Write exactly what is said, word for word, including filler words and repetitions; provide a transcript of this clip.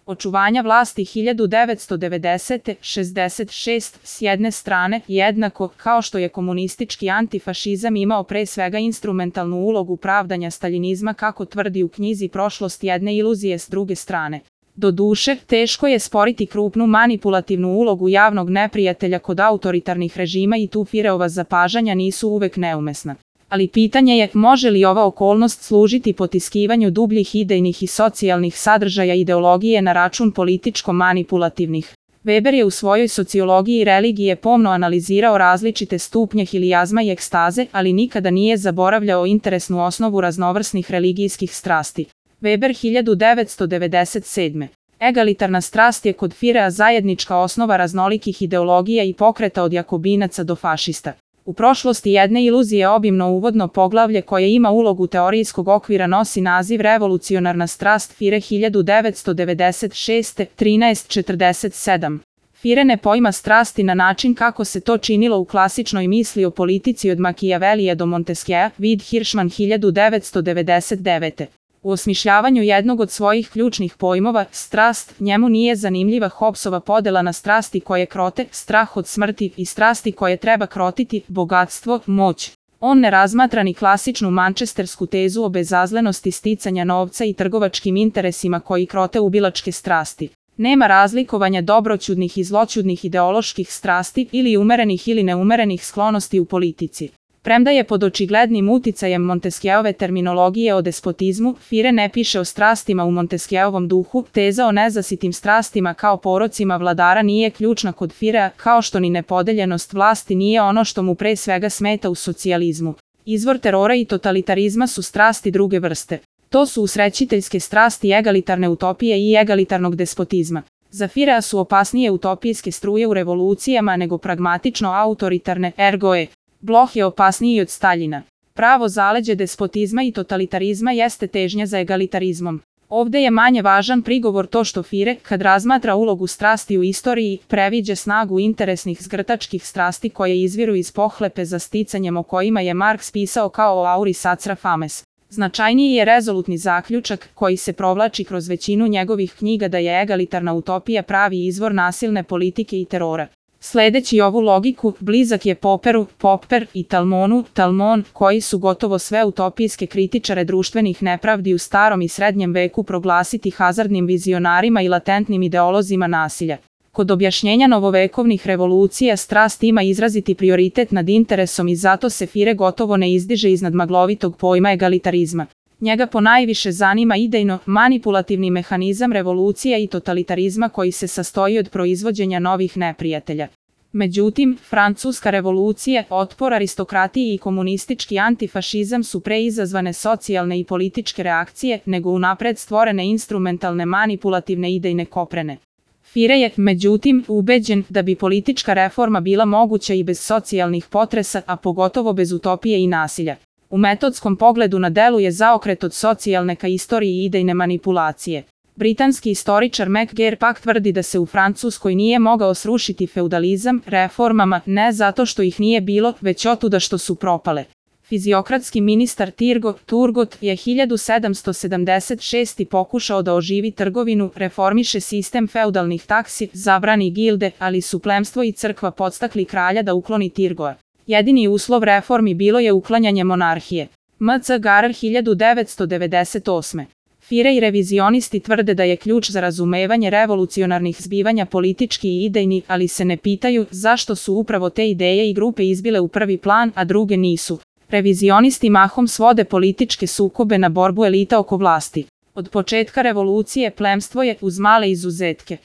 očuvanja vlasti hiljadu devetsto devedesete. šezdeset šest s jedne strane, jednako kao što je komunistički antifašizam imao pre svega instrumentalnu ulogu pravdanja staljinizma kako tvrdi u knjizi Prošlost jedne iluzije s druge strane. Doduše, teško je sporiti krupnu manipulativnu ulogu javnog neprijatelja kod autoritarnih režima i tu Fireova zapažanja nisu uvek neumesna. Ali pitanje je, može li ova okolnost služiti potiskivanju dubljih idejnih i socijalnih sadržaja ideologije na račun političko-manipulativnih. Weber je u svojoj sociologiji religije pomno analizirao različite stupnje hilijazma i ekstaze, ali nikada nije zaboravljao interesnu osnovu raznovrsnih religijskih strasti. Weber hiljadu devetsto devedeset sedme. Egalitarna strast je kod Firea zajednička osnova raznolikih ideologija i pokreta od jakobinaca do fašista. U prošlosti jedne iluzije obimno uvodno poglavlje koje ima ulogu teorijskog okvira nosi naziv Revolucionarna strast Fire hiljadu devetsto devedeset šeste. trinaest četrdeset sedam. Fire ne pojma strasti na način kako se to činilo u klasičnoj misli o politici od Machiavellija do Montesquieua, vid Hirschman hiljadu devetsto devedeset devete. U osmišljavanju jednog od svojih ključnih pojmova, strast, njemu nije zanimljiva Hobbesova podela na strasti koje krote, strah od smrti i strasti koje treba krotiti, bogatstvo, moć. On ne razmatra ni klasičnu mančestersku tezu o bezazlenosti sticanja novca i trgovačkim interesima koji krote ubilačke strasti. Nema razlikovanja dobroćudnih i zloćudnih ideoloških strasti ili umerenih ili neumerenih sklonosti u politici. Premda je pod očiglednim uticajem Montesquieuove terminologije o despotizmu, Fire ne piše o strastima u Montesquieuovom duhu, teza o nezasitim strastima kao porocima vladara nije ključna kod Firea, kao što ni nepodeljenost vlasti nije ono što mu pre svega smeta u socijalizmu. Izvor terora i totalitarizma su strasti druge vrste. To su usrećiteljske strasti egalitarne utopije i egalitarnog despotizma. Za Firea su opasnije utopijske struje u revolucijama nego pragmatično autoritarne, ergo je. Bloch je opasniji od Staljina. Pravo zaleđe despotizma i totalitarizma jeste težnja za egalitarizmom. Ovde je manje važan prigovor to što Fire, kad razmatra ulogu strasti u istoriji, previđa snagu interesnih zgrtačkih strasti koje izviru iz pohlepe za sticanjem o kojima je Marks pisao kao o auri sacra fames. Značajniji je rezolutni zaključak, koji se provlači kroz većinu njegovih knjiga da je egalitarna utopija pravi izvor nasilne politike i terora. Sledeći ovu logiku, blizak je Popperu, Popper i Talmonu, Talmon, koji su gotovo sve utopijske kritičare društvenih nepravdi u starom i srednjem veku proglasiti hazardnim vizionarima i latentnim ideolozima nasilja. Kod objašnjenja novovekovnih revolucija strast ima izraziti prioritet nad interesom i zato se Fire gotovo ne izdiže iznad maglovitog pojma egalitarizma. Njega ponajviše zanima idejno, manipulativni mehanizam revolucija i totalitarizma koji se sastoji od proizvođenja novih neprijatelja. Međutim, francuska revolucija, otpor aristokratiji i komunistički antifašizam su pre izazvane socijalne i političke reakcije nego unapred stvorene instrumentalne manipulativne idejne koprene. Fire je, međutim, ubeđen da bi politička reforma bila moguća i bez socijalnih potresa, a pogotovo bez utopije i nasilja. U metodskom pogledu na delu je zaokret od socijalne ka istoriji i idejne manipulacije. Britanski istoričar McGeer pak tvrdi da se u Francuskoj nije mogao srušiti feudalizam reformama ne zato što ih nije bilo, već otuda što su propale. Fiziokratski ministar Turgot, Turgot je hiljadu sedamsto sedamdeset šeste. pokušao da oživi trgovinu, reformiše sistem feudalnih taksi, zabrani gilde, ali su plemstvo i crkva podstakli kralja da ukloni Turgoa. Jedini uslov reformi bilo je uklanjanje monarhije. M C Garer hiljadu devetsto devedeset osme. Fire i revizionisti tvrde da je ključ za razumevanje revolucionarnih zbivanja politički i idejni, ali se ne pitaju zašto su upravo te ideje i grupe izbile u prvi plan, a druge nisu. Revizionisti mahom svode političke sukobe na borbu elita oko vlasti. Od početka revolucije plemstvo je, uz male izuzetke,